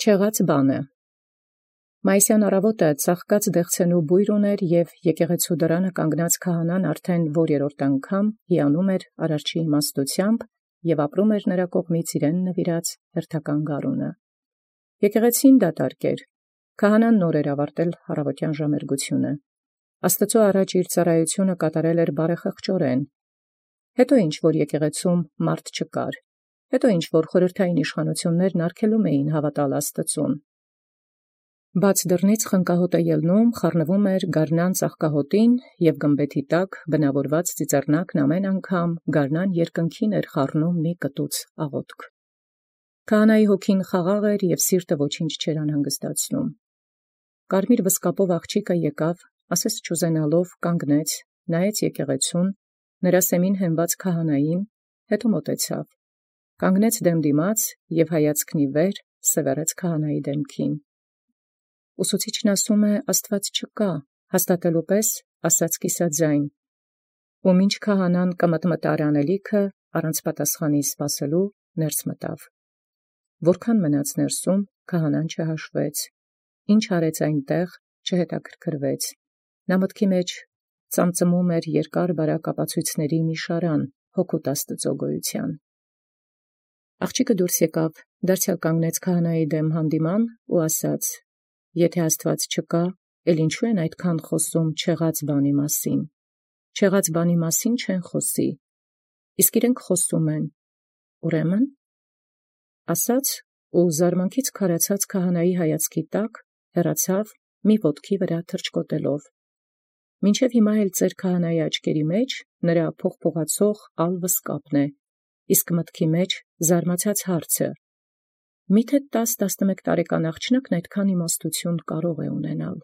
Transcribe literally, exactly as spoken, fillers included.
Չեղած բանը։ Մայիսյան առավոտը ծաղկած դեղցենու բույր ուներ, և եկեղեցու դռանը կանգնած քահանան արդեն յորերորդ անգամ հիանում էր արարչի իմաստութեամբ և ապրում էր նրա կողմից իրեն նվիրած հերթական գարունը։ Եկեղեցին դատարկ էր, քահանան նոր էր ավարտել առավոտյան ժամերգությունը, Աստուծոյ առաջ իր ծառայութիւնը կատարել էր բարեխղճորեն, հետո ինչ որ եկեղեցում մարդ չկար, հետո ինչ որ խորհրդային իշխանութիւններն արգելում էին հավատալ Աստուծուն։ Բաց դռնից խնկահոտը ելնում, խառնվում էր գարնան ծաղկահոտին, և գմբեթի տակ բնավորված ծիծեռնակն ամեն անգամ գարնան երկնքին էր խառնում մի կտուծ աղոթք։ Քահանայի հոգին խաղաղ էր և սիրտը ոչինչ չէր անհանգստացնում։ Կարմիր վսկապով աղջիկը եկավ, ասես չուզենալով կանգնեց, նայեց եկեղեցուն, նրա սեմին հենված քահանային, հետո մոտեցավ, կանգնեց դեմ դիմաց և հայացքն ի վեր սևեռեց քահանայի դեմքին։ Ուսուցիչն ասում է, Աստուած չկա, հաստատելու պես ասաց կիսաձայն, ու մինչ քահանան կմտմտար անելիքը, առանց պատասխանի սպասելու ներս մտավ։ Որքան մնաց ներսում, քահանան չհաշվեց, ինչ արեց այնտեղ չհետաքրքրվեց, նա մտքի մեջ ծամծմում էր երկար բարակ ապացույցների մի շարան, հօգուտ Աստուծոյ գոյութեան։ Աղջիկը դուրս եկավ, դարձեալ կանգնեց քահանայի դեմ հանդիման ու ասաց. «Եթե Աստուած չկա, էլ ինչու են այդքան խոսում չեղած բանի մասին, չեղած բանի մասին չեն խոսի, իսկ իրենք խոսում են, ուրեմն»։ Ասաց ու զարմանքից քարացած քահանայի հայացքի տակ հեռացավ մի ոտքի վրա թռչկոտելով։ Մինչև հիմա էլ ծեր քահանայի աչքերի մեջ նրա փողփողացող ալ վսկապն է, իսկ մտքի մեջ զարմացած հարցը. միթե տաս տասնմեկ տարեկան աղջնակն այդքան իմաստութիւն կարող է ունենալ։